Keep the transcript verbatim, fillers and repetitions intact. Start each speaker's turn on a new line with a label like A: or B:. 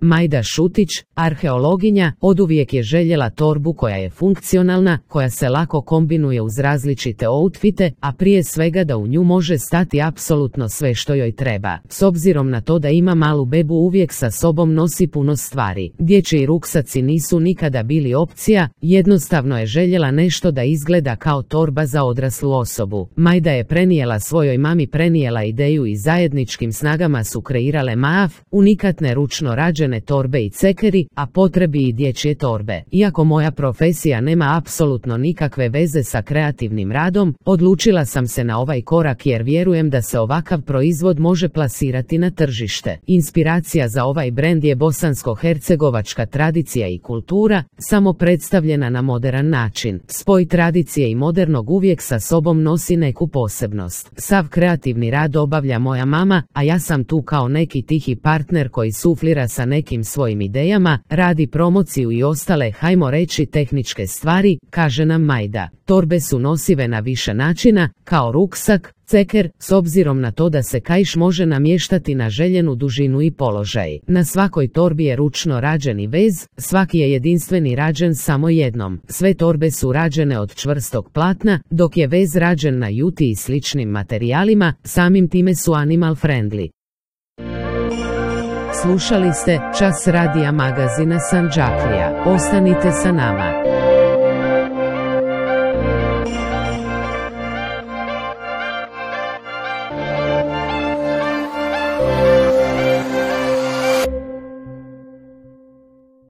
A: Majda Šutić, arheologinja, oduvijek je željela torbu koja je funkcionalna, koja se lako kombinuje uz različite outfite, a prije svega da u nju može stati apsolutno sve što joj treba. S obzirom na to da ima malu bebu, uvijek sa sobom nosi puno stvari. Dječji ruksaci nisu nikada bili opcija, jednostavno je željela nešto da izgleda kao torba za odraslu osobu. Majda je prenijela svojoj mami prenijela ideju i zajedničkim snagama su kreirale M A A F, unikatne ručno rađene torbe i cekeri, a potrebi i dječje torbe. Iako moja profesija nema apsolutno nikakve veze sa kreativnim radom, odlučila sam se na ovaj korak jer vjerujem da se ovakav proizvod može plasirati na tržište. Inspiracija za ovaj brend je bosansko-hercegovačka tradicija i kultura, samo predstavljena na moderan način. Spoj tradicije i modernog uvijek sa sobom nosi neku posebnost. Sav kreativni rad obavlja moja mama, a ja sam tu kao neki tihi partner koji suflira sa nekim svojim idejama, radi promociju i ostale, hajmo reći, tehničke stvari, kaže nam Majda. Torbe su nosive na više načina, kao ruksak, ceker, s obzirom na to da se kaiš može namještati na željenu dužinu i položaj. Na svakoj torbi je ručno rađeni vez, svaki je jedinstveni rađen samo jednom. Sve torbe su rađene od čvrstog platna, dok je vez rađen na juti i sličnim materijalima, samim time su animal friendly. Slušali ste Čas radija magazina Sandžaklija. Ostanite sa nama.